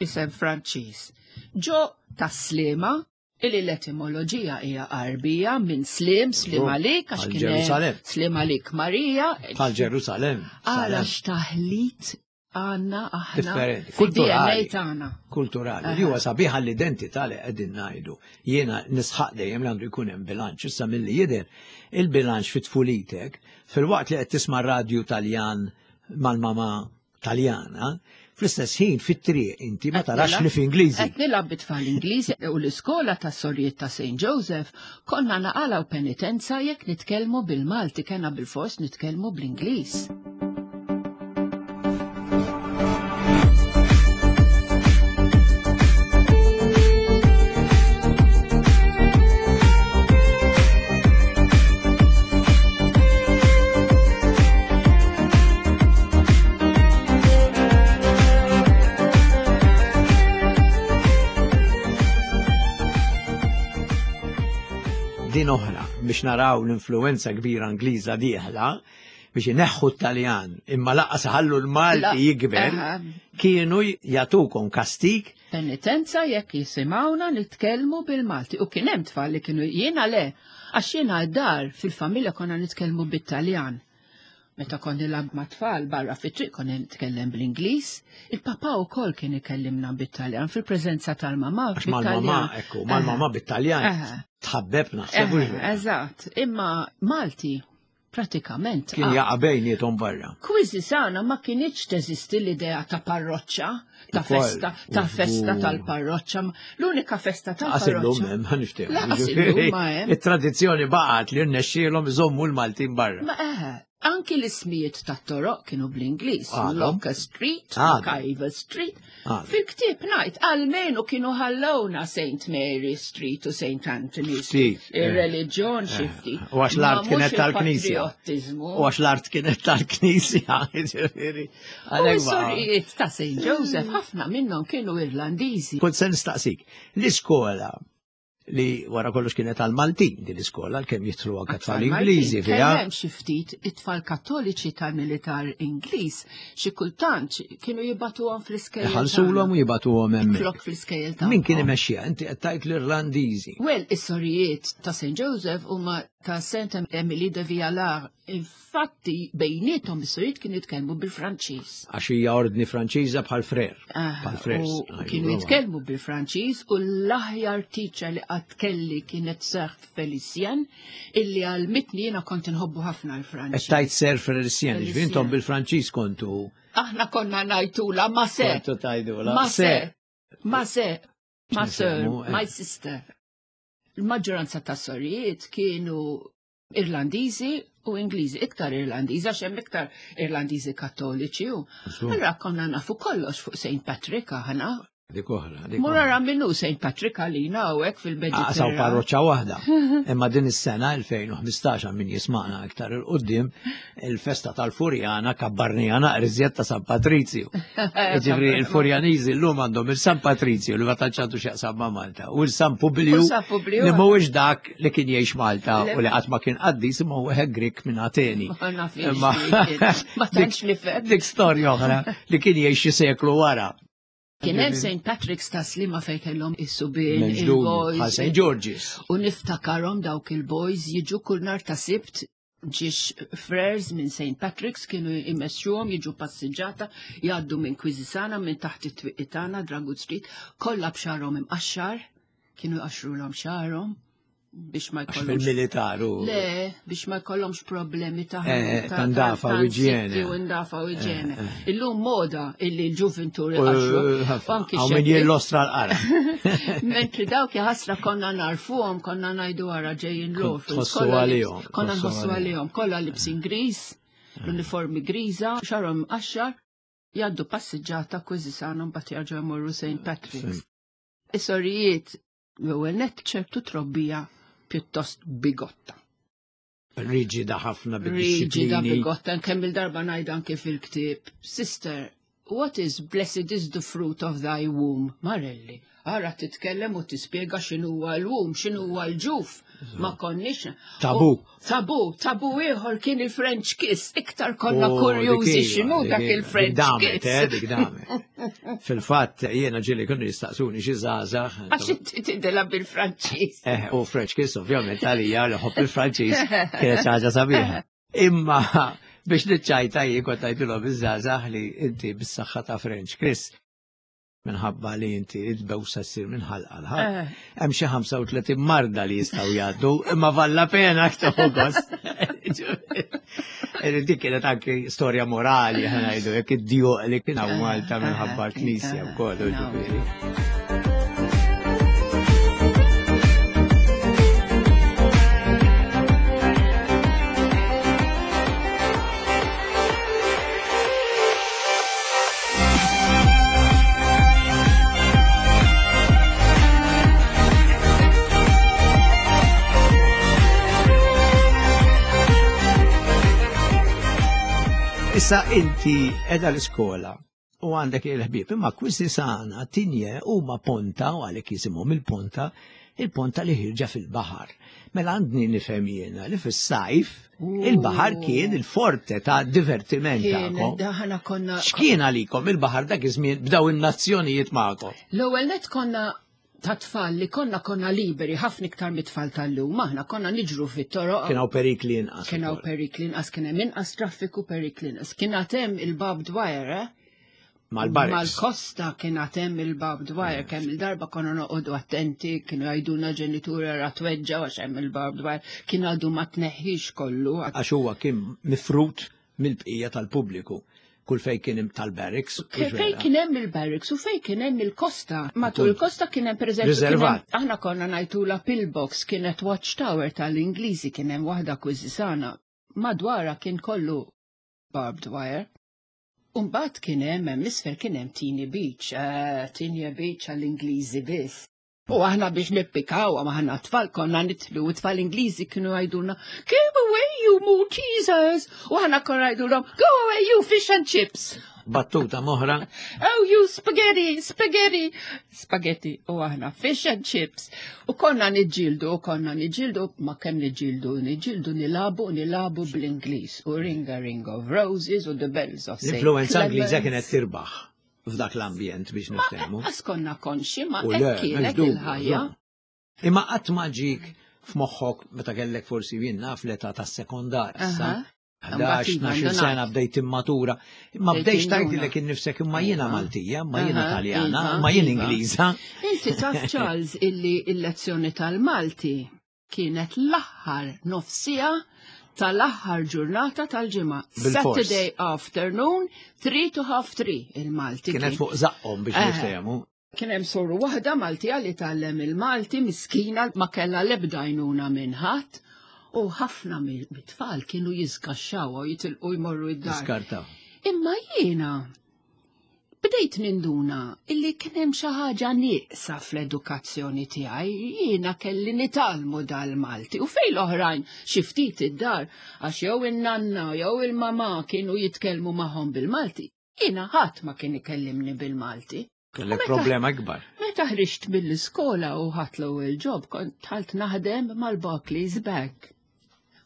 isem Franċiż. Ġo ta' Slima, illi l-etimoloġija hija Arbija minn Slim, Slim għalik, għax Għal kien hemm Ġerusalem. Slim għalik Marija. Bħal Ġerusalem. Għala Salem. x'taħlit għanna aħna Differenti. fid-DNA Kulturali. tagħna. kulturali. Li huwa sabiħa l-identità li qegħdin ngħidu. Jiena nisħaq dejjem li għandu jkun hemm bilanċ. Issa milli jidher il-bilanċ fit tfulitek fil-waqt li qed tisma' radju Taljan mal-mama Taljana, fl-istess ħin fit-triq inti ma tarax li f'Ingliżi. Qed nilgħab bit-tfal Ingliżi u l-iskola tas-sorijiet ta' St. Joseph konna naqalgħu penitenza jekk nitkellmu bil-Malti kena bil-fors nitkellmu bl-Ingliż. Din oħra biex naraw l-influenza kbira Ingliża dieħla biex ineħħu t-Taljan imma laqqas ħallu l-Malti La- jikber Aha. kienu jagħtukom kastik Penitenza jekk jisimgħuna nitkellmu bil-Malti. U kien hemm tfal li kienu jiena le, għax jiena d-dar fil-familja konna nitkellmu bit-Taljan. Meta kont nilgħab ma' tfal barra fit-triq konna nitkellem bl-Ingliż, il-papà wkoll kien ikellimna bit-Taljan fil-preżenza tal-mamà għax mal-mamà, bit-Taljan. ekku, mal-mamà bit-Taljan Aha. tħabbeb naħseb. hux Eh, vera? Eżatt, imma Malti Pratikament. Kien jaqa' bejniethom barra. Quisisana ma kinitx teżisti l-idea ta' parroċċa, ta' festa, ta' festa tal-parroċċa. L-unika festa tal-parroċċa. Hemm, ma niftehmu. Laqas illum ma hemm. It-tradizzjoni baqgħet li rnexxielhom iżommu l-Maltin barra. Ma eħe, anki l-ismijiet tat-toroq kienu bl-Ingliż. Locke Street, MacIver Street. Fil-ktieb ngħid almenu kienu ħallowna St. Mary Street u St. Anthony Street. Eh. Ir-reliġjon xi eh. ftit. U għax l-art kienet tal-Knisja. U għax l-art kienet tal-Knisja, ġifieri. U s-sorijiet ta' St. Joseph ħafna minnhom kienu Irlandiżi. Kont se nistaqsik, l-iskola li wara kollox kienet għal Maltin din l-iskola għalkemm jidħlu anke tfal Ingliżi fiha. Hemm xi ftit it-tfal Kattoliċi tal-militar Ingliż xi kultant kienu jibatuhom fl-iskejjel. Iħallsulhom u jibatuhom hemmhekk. Flok fl-iskejjel tagħhom. Min kien imexxiha? Inti qed tgħid l-Irlandiżi. Well, is-sorijiet ta' St. Joseph huma ta' Saint Emily de Vialar. Infatti bejniethom is-sorijiet kienu jitkellmu bil-Franċiż. Għax hija ordni Franċiża bħal frer. Ah, bħal frers. Kienu jitkellmu bil-Franċiż u l-aħjar teacher li qatt kelli kienet Sir Felicien illi għal-mitni jiena kont inħobbu ħafna l-Franċiż. Qed tgħid Sir Felicien, ġifieri intom bil-Franċiż kontu. Aħna konna ngħidula ma se. Kontu tgħidula. Ma se. Ma se. Ma sir, eh. my sister. Il-maġġoranza ta' sorijiet kienu Irlandiżi u Ingliżi, iktar Irlandiżi, għax hemm iktar Irlandiżi Kattoliċi u. Allura konna nafu kollox fuq St. Patrick aħna. Dik oħra. Mur ara minnu St. Patrick għalina hawnhekk fil-Mediterran. Saw parroċċa waħda. Imma din is-sena 2015 min jisma'na iktar il-qudiem il-festa tal-Furjana kabbarnija naqra iżjed ta' San Patrizju. Ġifieri il-Furjaniżi llum għandhom il-San Patrizju li ma tantx għandu x'jaqsam ma' Malta u l-San Publiju li mhuwiex dak li kien jgħix Malta u li qatt ma kien qaddis imma wieħed Grik minn Ateni. Ma tantx nifhem. Dik storja oħra li kien jgħix xi seklu wara. Kien hemm St. Patrick's ta' Slima fejn kellhom is-subien, il-boys. St. George's. U niftakarhom dawk il-boys jiġu kull nar ta' Sibt ġiex frers minn St. Patrick's kienu jmexxuhom jiġu passiġġata jgħaddu minn Kwiżisana minn taħt it-twieqi tagħna Dragut Street, kollha b'xagħarhom imqaxxar, kienu jqaxxrulhom xagħarhom biex ma jkollhomx. Fil-militaru. Le, biex ma jkollhomx problemi ta' eh, ta' ndafa u iġjene. U ndafa u iġjene. Eh, eh. Illum moda illi l-ġuventur iqaxxru. Anki min jillostra l-qara. Mentri dawk ħasra konna narfuhom, konna ngħidu wara ġejjin l Tħossu għalihom. Konna nħossu għalihom, kollha libsin griż, l-uniformi griża, xarhom qaxxar, jgħaddu passiġġata kważi sana mbagħad jerġgħu jmorru St. Patrick's. Is-sorijiet l-ewwel nett ċertu trobbija pjuttost bigotta. Riġida ħafna bid-dixxiplini. Riġida bigotta, kemm il-darba ngħid anke fil-ktieb, Sister, what is blessed is the fruit of thy womb, Marelli. Ara titkellem u tispjega x'inhuwa l-womb, x'inhuwa l-ġuf. Ma konniex. Tabu. Tabu, tabu ieħor kien il-French kiss, iktar konna oh, kurjużi x'inhu dak il-French kiss. Eh, dik damet. Fil-fatt jiena ġieli kienu jistaqsuni xi żgħażagħ. Għax inti tidela bil-Franċiż. Eh, u French kiss ovvjament għalija li ħobb il-Franċiż kienet xi ħaġa sabiħa. Imma biex niċċajta jien kont ngħidilhom iż-żgħażagħ li inti bis-saħħa ta' French kiss minħabba li inti id-bewsa ssir minn ħalqa l-ħalq. Eh. Hemm xi 35 marda li jistgħu jgħaddu, imma valla pena tieħu gost. Dik kienet anki storja morali ħanajdu jekk id-djuq li kien hawn Malta minħabba l-Knisja wkoll ġifieri. Issa inti edha l-iskola u għandek il-ħbieb, imma kwisti sana tinje huma ponta u għalhekk jisimhom il-ponta, il-ponta li ħirġa fil-baħar. Mela għandni nifhem jiena li fis-sajf il-baħar kien il-forte ta' divertiment tagħkom. Konna X'kien għalikom il-baħar dak iż-żmien b'daw in-nazzjonijiet magħkom? L-ewwel net konna ta' tfal li konna konna liberi ħafna iktar mit-tfal tal-lum, aħna konna niġru fit-toroq. Kien hawn perikli inqas. Kien hawn perikli inqas, kien hemm inqas traffiku perikli inqas. Kien hemm il-barbed wire, eh? Mal-barracks. Mal-kosta kien għatem il-barbed wire, kemm il-darba konna noqogħdu attenti, kienu jgħidulna ġenituri ra tweġġa għax hemm il-barbed wire, kien għadu ma tneħħix kollu. Għax huwa kien mifrut mill-bqija tal-pubbliku. Kull fej kien hemm tal-barracks. Fej kien hemm il-barracks u fej kien hemm il-kosta. Matul il-kosta kien hemm pereżempju. Riservat. Aħna konna ngħidula pillbox kienet watchtower tal-Ingliżi kien hemm waħda kwiżisana. Madwarha kien kollu barbed wire. Umbagħad kien hemm hemm isfel kien hemm Tini Beach, eh, Tini Beach għall-Ingliżi biss. U aħna biex nippikaw, ma aħna tfal konna nitlu, u tfal Ingliżi kienu jgħidulna, Keep away you Maltesers! U aħna konna jgħidulhom, Go away you fish and chips! Battuta moħra. Oh you spaghetti, spaghetti, spaghetti, u aħna fish and chips. U konna niġġieldu, u konna niġġieldu, ma kemm niġġieldu, niġġieldu nilabu, nilabu bl-Ingliż. U ring a ring of roses u the bells of St. L-influenza Ingliża Clements. kienet tirbaħ f'dak l-ambjent biex niftehmu. Għas konna konxi, ma U le, hekk kienet m'hemmx dubju, il-ħajja. żomm. Imma qatt ma ġik f'moħħok meta kellek forsi jien naf l-età tas-sekondar issa. Aha. 11, Imbagħad 12 iva, sena bdejt immatura. Ma Bdejt bdejx induna. tgħidilek innifsek imma jiena Iva. Maltija, imma jiena Aha, Taljana, iva, imma jien iva. Ingliża. Inti taf Charles illi il-lezzjoni tal-Malti kienet l-aħħar nofsija tal-aħħar ġurnata tal-ġimgħa. Bil-fors. Saturday afternoon, 3 to half 3 il-Malti. Kienet kien. fuq żaqqhom biex Eħe. niftehmu. Kien hemm soru waħda Maltija li tgħallem il-Malti miskina ma kellha l-ebda għajnuna minn ħadd u ħafna mit-tfal kienu jiżgaxxaw u jitilqu jmorru id-dar. Iskartaw. Imma jiena bdejt ninduna illi kien hemm xi ħaġa nieqsa fl-edukazzjoni tiegħi, jiena kelli nitgħallmu dal-Malti u fejn l-oħrajn xi ftit id-dar għax jew in-nanna jew il-mamà kienu jitkellmu magħhom bil-Malti. Jiena ħadd ma kien ikellimni bil-Malti. Kellek meta- problema ikbar. Meta ħriġt mill-iskola u ħadt l-ewwel job kont dħalt naħdem mal-Barclays Bank.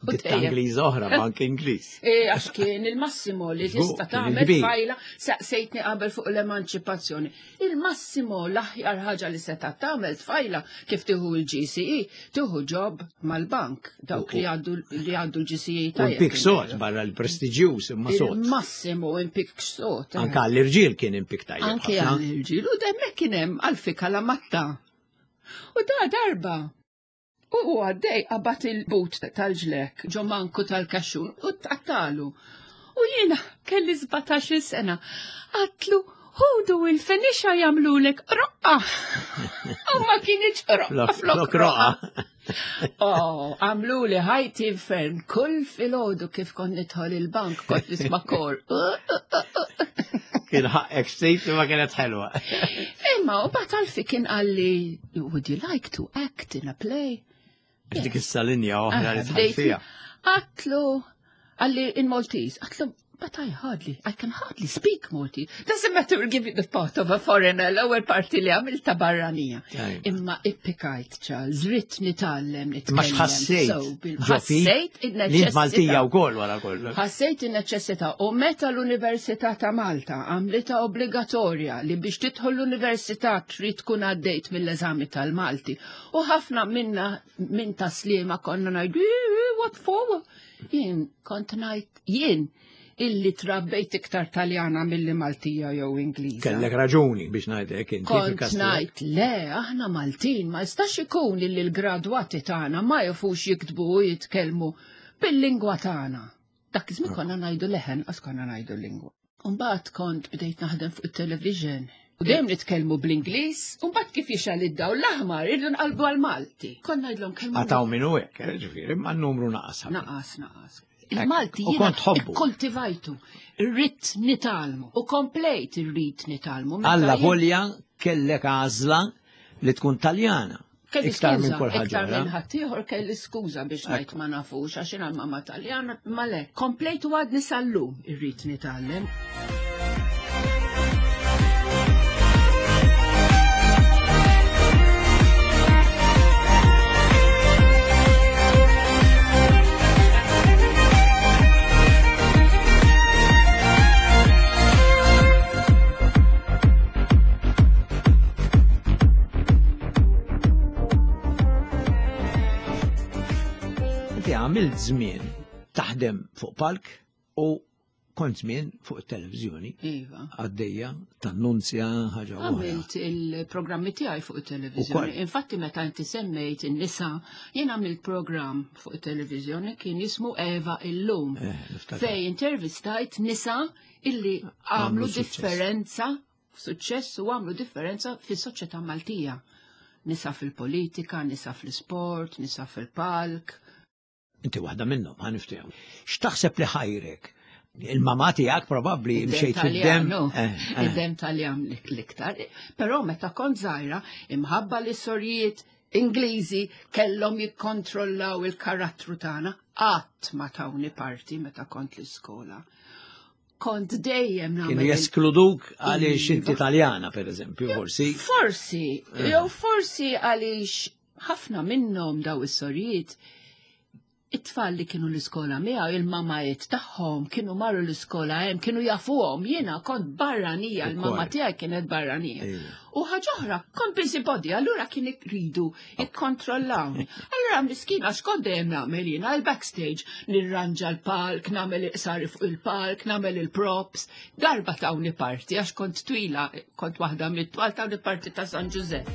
U Ditta dejjem- Ingliż oħra, bank Ingliż. E, għax kien il-massimo li Żgur, tista' kien tagħmel il-kbir. tfajla saqsejtni qabel fuq l-emanċipazzjoni. Il-massimo l-aħjar ħaġa li seta' tagħmel tfajla kif tieħu l-GCE, tieħu job mal-bank dawk li għaddu li għaddu l-GCE U tajjeb. l-pik sot barra l-prestiġjuż imma sot. Il-massimo impik sot. eh. Anka għall-irġiel kien impik tajjeb. Anki ħafna. għall-irġiel u demmek kien hemm għalfi kalamatta. U da darba. U u għaddej qabad il-but tal-ġlek, ġomanku tal-kaxxun, u tqattalu. U jiena kelli 17 sena. Għatlu, ħudu il-fenixa jamlulek roqqa. U ma kienieċ roqqa Flok- flok Flok roqa. Oh, għamlu li ħajti infern, kull filgħodu kif kont nidħol il-bank, kont nisma' kor. Kien ħaqek sejt ma kienet ħelwa. Imma, u bat għalfi kien għalli, would you like to act in a play? Dik issa linja oħra li Ah, tħall bdejt- fiha. Għatlu, għalli in Maltese, għatlu, but I hardly, I can hardly speak Maltese. Doesn't matter, we'll give you the part of a foreigner, l-ewwel parti li għamilta barranija. Tajba. Imma ippikajt, Charles, rrit nitgħallem nitkellem. Ma xħassejt. So, bil- ġo fik Ħassejt Li int il-neċessità. Maltija wkoll wara kollox. Ħassejt in-neċessità u meta l-Università ta' Malta għamlitha obbligatorja li biex tidħol l-università trid tkun għaddejt mill-eżami tal-Malti. U ħafna minna minn taslima konna ngħidu "Eh, eh, what for? Jien kont ngħid jien illi trabbejt iktar Taljana milli Maltija jew Ingliża. Kellek raġuni biex ngħidlek inti Kont fil-każ ngħid le, aħna Maltin, ma jistax ikun illi l-gradwati tagħna ma jafux jiktbu u jitkellmu bil-lingwa tagħna. Dak iż-żmien konna ngħidu leħen, qas konna ngħidu l-lingwa. Mbagħad kont bdejt naħdem fuq it-television. U dejjem nitkellmu bl-Ingliż, u mbagħad kif jixgħal id-dawl l-aħmar irridu nqalbu għall-Malti. Konna ngħidlhom kellmu Għataw minnu hekk, eh, ġifieri, ma n-numru naqas. ħafna. Naqas, naqas. Il-Malti U jiena kont tħobbu. ikkultivajtu, irrid nitalmu u komplejt irrid nitalmu. Meta Alla jien- volja kellek għażla li tkun Taljana. Kelli Iktar minn skuża, kull ħaġa. Iktar minn oħra. ħaddieħor kelli skuża biex ngħid ma nafux għax jiena mamma Taljana, ma le. Komplejt u għadni sal-lum irrid nitgħallem. Inti għamilt żmien taħdem fuq palk u Kont żmien fuq it-televiżjoni. Iva. Għaddejja tannunzja ħaġa oħra. Għamilt il-programmi tiegħi fuq it-televiżjoni. Infatti meta inti semmejt in-nisa, jien għamilt programm fuq it-televiżjoni kien jismu Eva illum. Eh, niftakar. Fej intervistajt nisa illi għamlu differenza, suċċess u għamlu differenza fis-soċjetà Maltija. Nisa fil-politika, nisa fl-isport, nisa fil-palk. Inti waħda minnhom, ħa niftehmu. X'taħseb li ħajrek? Il-mamà tiegħek probabbli mxejt fid-dem. Eh, eh. Id-dem Taljan l-iktar. Però meta kont żgħira, imħabba li sorijiet Ingliżi kellhom jikkontrollaw il-karattru tagħna, qatt ma tawni parti meta kont l-iskola. Kont dejjem nagħmel. Kienu jeskluduk għaliex inti Iva. Taljana, per eżempju, forsi. Forsi, Eh. jew forsi għaliex ħafna minnhom daw is-sorijiet it-tfal li kienu l-iskola miegħu il-mamajiet tagħhom kienu marru l-iskola hemm kienu jafuhom jiena kont barranija l-mama tiegħi kienet barranija. Iva. U ħaġa oħra, kont busybody, allura kien iridu jikkontrollawni. Allura miskina x'kont dejjem nagħmel jiena il-backstage, nirranġa l-palk, nagħmel iqsari fuq il-palk, nagħmel il-props. Darba tawni parti għax kont twila, kont waħda mit-twal tawni parti ta' San Giuseppe.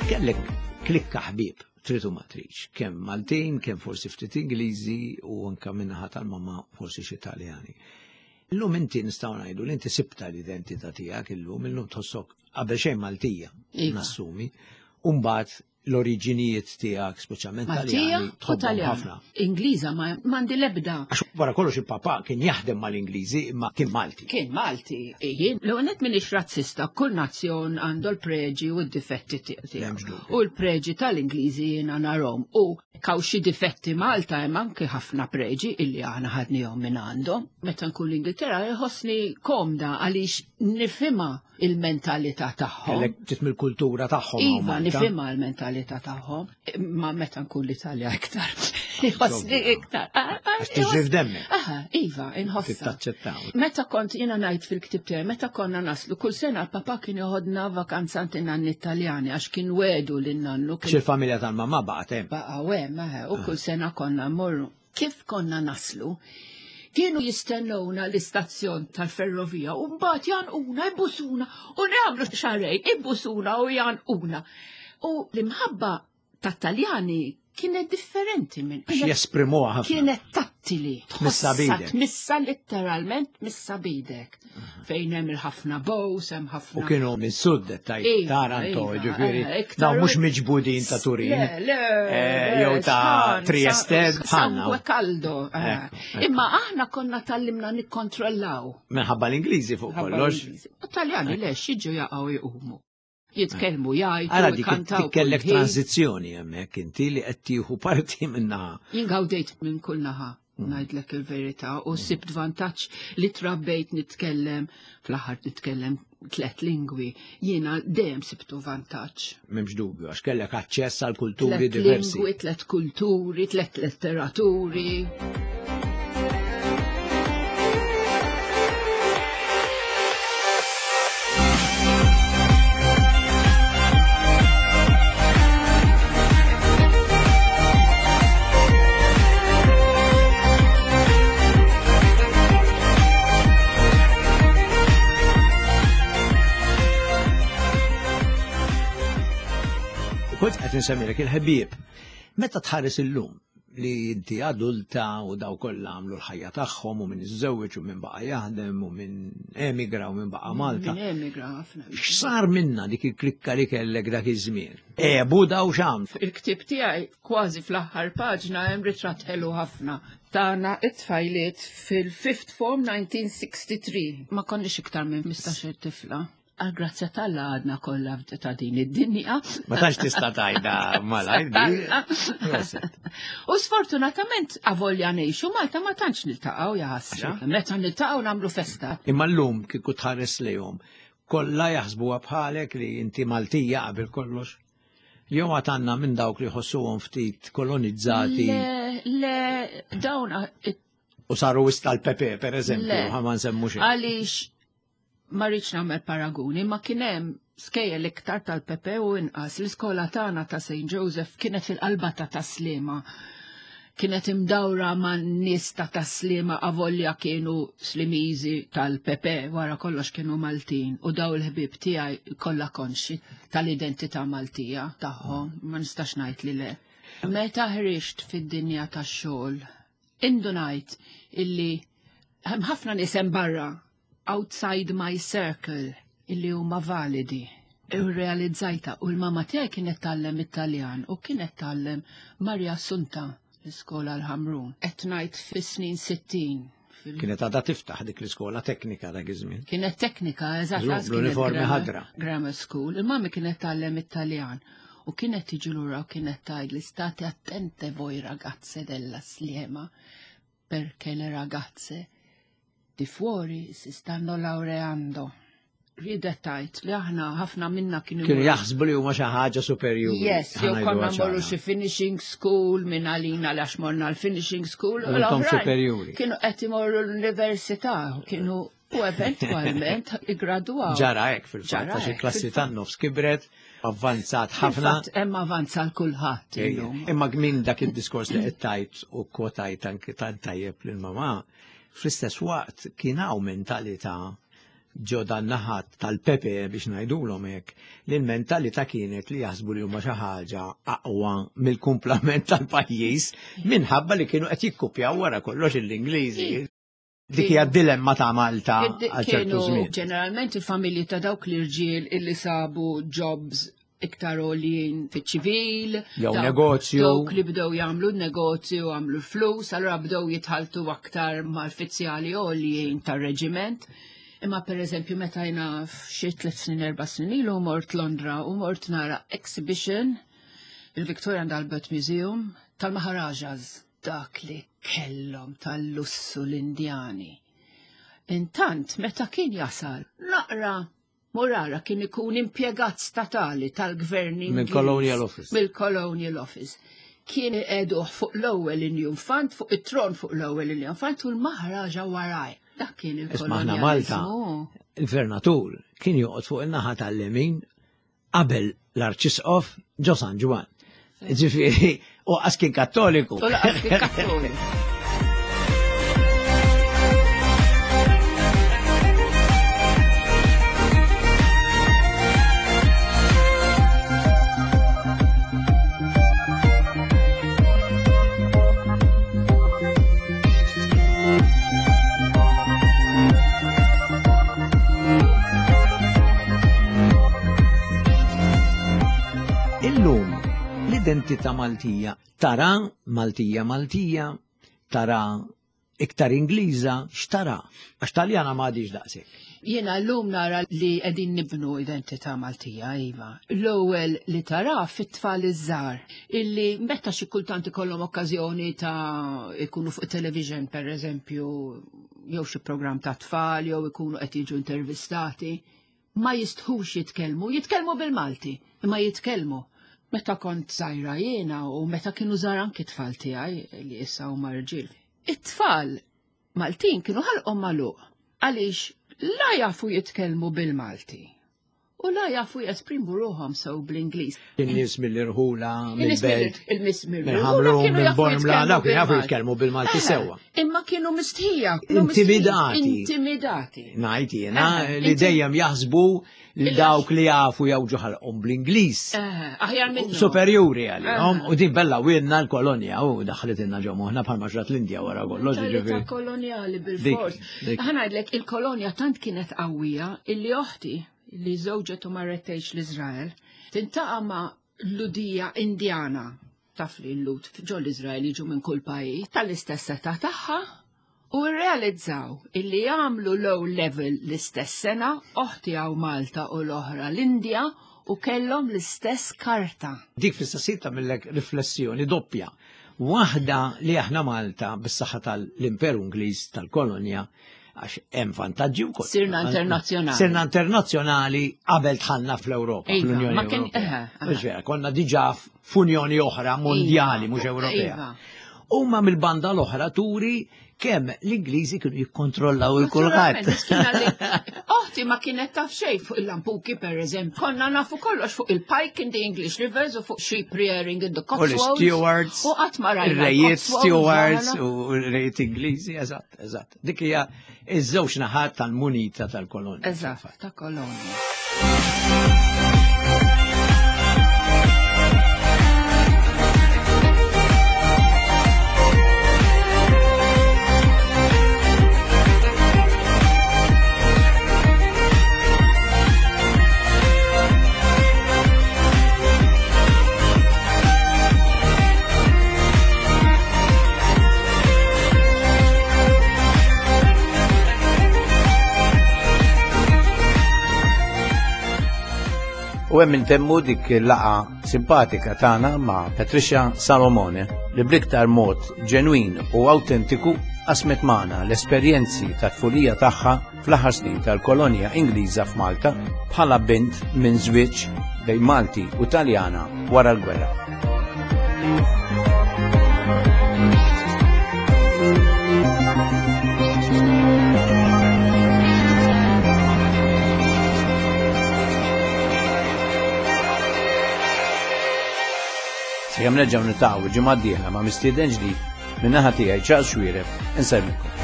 Kellek klikka ħbieb, trid u ma tridx, kemm Maltin, kemm forsi ftit Ingliżi u anka minnaħa tal-mama forsi xi Taljani. Illum inti nistgħu ngħidu li inti sibta l-identità tiegħek illum, illum tħossok qabel xejn Maltija, Iva. nassumi, u mbagħad l-oriġinijiet tiegħek, speċjalment Maltija Taljani, u tħobbhom Taljan. ħafna. Ingliża ma m'għandi l-ebda. Għax wara kollox il-papà kien jaħdem mal-Ingliżi imma kien Malti. Kien Malti, jien l-għonet minix razzista, kull nazzjon għandu l-preġi u d-difetti tiegħu. M'hemmx dubju. U l-preġi tal-Ingliżi jiena narhom. U kaw xi difetti Malta hemm anke ħafna preġi illi aħna ħadnihom minn għandhom. Meta nkun l-Ingilterra jħossni komda għaliex nifhimha il-mentalità tagħhom. Kellek ftit mill-kultura tagħhom. hawn Iva, Malta. nifhimha l-mentalità tagħhom, ma meta nkun l-Italja iktar. Jħossni iktar. Ah, ah, Għax tiġri f'demmek. Aha, iva, inħossa. Tittaċċettaw. Meta kont jiena ngħid fil-ktib tiegħi, meta konna naslu kull sena l-papa kien joħodna vakanza għand in-nanni Taljani għax kien wedu lin-nannu Għax kien il-familja tal-mamma baqgħet hemm. baqgħu hemm, eħe, u kull sena konna mmorru. Kif konna naslu? Kienu jistennewna l-istazzjon tal-ferrovija u mbagħad janquna, ibusuna u nagħmlu xarej, ibusuna u janquna. U l-imħabba tat-Taljani kienet differenti minn Għax jesprimuha ħafna. Kienet tattili. Tmissa Tħossha, b'idek. Tmissa literalment missa bidek. Fejn hemm il-ħafna bows, hemm ħafna. U kienu minn sud tajt Iva, Taranto, iva, ġifieri, eh, iktar dawn mhux u- miġbudin ta' Turin. Le, le, eh, le, jew ta' sħan, Trieste, bħalna. Sangue caldo. eh. Ekku, ekku. Imma aħna konna tallimna nikkontrollaw. Minħabba l-Ingliżi fuq Ħabba kollox. l-Ingliżi. U Taljani le, xiġu jaqgħu jqumu. Jitkellmu jgħidu, Ara dik jkantaw. dik kellek kull ħin. tranzizzjoni hemmhekk inti li qed tieħu parti minnaħa. Jien gawdejt minn kull naħa, Mm. ngħidlek il-verità, u sibt vantaġġ li trabbejt nitkellem, fl-aħħar nitkellem tlet lingwi, jiena dejjem sibtu vantaġġ. M'hemmx dubju għax kellek aċċess għal kulturi Tlet diversi. lingwi, tlet kulturi, tlet letteraturi. Kont qed insemmilek il-ħbieb. Meta tħares illum li inti adulta u daw kollha għamlu l-ħajja tagħhom u min iżżewweġ u min baqa' jaħdem u min emigra u min baqa' Malta. Min emigra ħafna. X'sar minna dik il-klikka li kellek dak iż-żmien? Ebu daw xam. Il-ktib tiegħi kważi fl-aħħar paġna hemm ritratt ħelu ħafna. Tana it-tfajliet fil-fifth form 1963. Ma konniex iktar minn 15 tifla. Għal grazzja tal-la għadna kollha ta' din id-dinja. Ma tantx tista' tajda malajr di. Proset. U sfortunatament avolja ngħixu Malta ma tantx niltaqgħu ja ħasra. Meta niltaqgħu nagħmlu festa. Imma llum kieku tħares lejhom, Kollha jaħsbuha bħalek li inti Maltija qabel kollox? Jew għad għandna minn dawk li jħossuhom ftit kolonizzati? Le, le, dawn U saru wisq tal-Pepe, per eżempju, ħa ma nsemmu xejn. Għaliex ma rridx nagħmel paraguni, ma kien hemm skejjel iktar tal-Pepe u inqas. L-iskola tagħna ta' St. Joseph kienet fil-qalba ta' Taslima. Kienet imdawra ma' nies ta' Taslima avolja kienu Slimiżi tal-Pepe, wara kollox kienu Maltin u daw il-ħbieb tiegħi kollha konxi tal-identità Maltija tagħhom, ma nistax ngħid li le. Meta ħriġt fid-dinja tax-xogħol, indunajt illi hemm ħafna nies hemm barra outside my circle illi huma validi. U realizzajta u l-mama tiegħi kienet tgħallem it-Taljan u kienet tgħallem Maria Assunta l-iskola l-Ħamrun. Qed ngħid fis-snin 60. Kienet għadha tiftaħ dik l-iskola teknika dak iż-żmien. Kienet teknika, eżatt. L-uniformi ħadra. Grammar school. Il-mami kienet tgħallem it-Taljan u kienet tiġi lura u kienet tgħid li state attente voi ragazze della Sliema perché le ragazze di fuori si stanno laureando. Riedet tgħid li aħna ħafna minna kienu Kienu jaħsbu li huma xi ħaġa superjuri. Yes, jew konna mmorru xi finishing school minn għalina għax morna l-finishing school. U intom superjuri. Kienu qed imorru l-università, kienu u eventwalment iggradwaw. Ġara hekk fil-fatt, għax il-klassi tan-nofs kibret, avvanzat ħafna. Hemm avanza l kulħadd illum. Imma minn dak id-diskors li qed tajt u kwotajt anki tant tajjeb lil mamà, fl-istess waqt kien hawn mentalità ġo dan naħat tal-Pepe biex ngħidulhom hekk, li l-mentalità kienet li jaħsbu li huma xi ħaġa aqwa mill-kumplament tal-pajjiż minħabba li kienu qed jikkupjaw wara kollox l-Ingliżi. Dik hija dilemma ta' Malta għal ċertu żmien. Ġeneralment il-familji ta' dawk l-irġiel illi sabu jobs iktar għoljin fiċ-ċivil. Jew negozju. Dawk li bdew jagħmlu negozju, għamlu flus, allura bdew jitħaltu aktar mal-fizzjali għoljin tar-reġiment. Imma per eżempju meta jina xi tliet snin erba' snin ilu mort Londra u mort nara exhibition il-Victoria and Albert Museum tal-Maharajas dak li kellhom tal-lussu l-Indjani. Intant meta kien jasal naqra Murara kien ikun impjegat statali tal-gvern Ingliż. Mill-Colonial Office. Mill-Colonial Office. Kien iqegħduh fuq l-ewwel injunfant, fuq it-tron fuq l-ewwel injunfant u l-Maharaja waraj. Dak kien il-kolonializmu. Malta, il-gvernatur kien joqgħod fuq in-naħa tal-lemin qabel l-Arċisqof ġo San Ġwann. Ġifieri, u qas kien kattoliku. U laqas kien kattoliku. Illum l-identità Maltija tara Maltija Maltija, tara iktar Ingliża, x'tara? Għax Taljana ma għadix daqshekk. Jiena llum nara li qegħdin nibnu identità Maltija, iva. L-ewwel li tara fit-tfal iż-żgħar illi meta xi kultant ikollhom okkażjoni ta' ikunu fuq television pereżempju jew xi programm ta' tfal jew ikunu qed jiġu intervistati, ma jistħux jitkellmu, jitkellmu bil-Malti, imma jitkellmu. Meta kont żgħira jiena u meta kienu żgħar anki tfal tiegħi li issa huma rġiel. It-tfal Maltin kienu ħalqhom magħluq għaliex la jafu jitkellmu bil-Malti u la jafu jesprimu ruħhom sew bl-Ingliż. In-nies mill-irħula, mill-belt, il-nies mill-irħula kienu jafu jitkellmu kienu jafu jitkellmu bil-Malti sewwa. Imma kienu mistħija. Intimidati. Intimidati. Ngħid jiena li dejjem jaħsbu li dawk li jafu jawġu ħalqhom bl-Ingliż. Aħjar minn. Superjuri għalihom u din bella winna l-kolonja u daħlet inna ġo moħħna bħalma ġrat l-Indja wara kollox. Mentalità kolonjali bil-fors. Ħa ngħidlek il-kolonja tant kienet qawwija illi oħti li żewġet u marret tgħix l-Iżrael tintaqa' ma' Ludija Indjana taf li l-Lud ġo l-Iżrael jiġu minn kull pajjiż tal-istess età tagħha u rrealizzaw illi jagħmlu low level l-istess sena, oħti hawn Malta u l-oħra l-Indja u kellhom l-istess karta. Dik fl-istess ħin tagħmillek riflessjoni doppja. Waħda li aħna Malta bis-saħħa tal-Imperu Ingliż tal-kolonja. Għax hemm vantaġġi wkoll. Sirna internazzjonali. Sirna internazzjonali qabel dħalna fl-Ewropa, Iva, fl-Unjoni ma kien- Ewropea. eħe, eħe. Mhux vera, konna diġà f'unjoni oħra mondjali, Iva, mhux Ewropea. iva. Huma mill-banda l-oħra turi kemm l-Ingliżi kienu jikkontrollaw il-kulħadd. Naturalment, kien għalli- Oħti ma kienet taf xejn fuq il-lampuki per eżempju. Konna nafu kollox fuq il-pike in the English rivers u fuq sheep rearing in the U Cotswolds. l-stewards, U qatt ma rajna il-rejiet l-Cotswolds, stewards aħna. u l-rejiet Ingliżi, eżatt, eżatt. Dik hija iż-żewġ naħat tal-munita tal-kolonja. Eżatt, ta' kolonja. U hemm intemmu dik il-laqa simpatika tagħna ma' Patricia Salomone li bliktar mod ġenwin u autentiku qasmet magħna l-esperjenzi ta' tfulija tagħha fl-aħħar snin tal-kolonja Ingliża f'Malta bħala bint minn żwieġ bejn Malti u Taljana wara l-gwerra. Sakemm nerġgħu niltaqgħu l-ġimgħa d-dieħla ma' mistieden ġdid min-naħa tiegħi Charles Xuereb insellmilkom.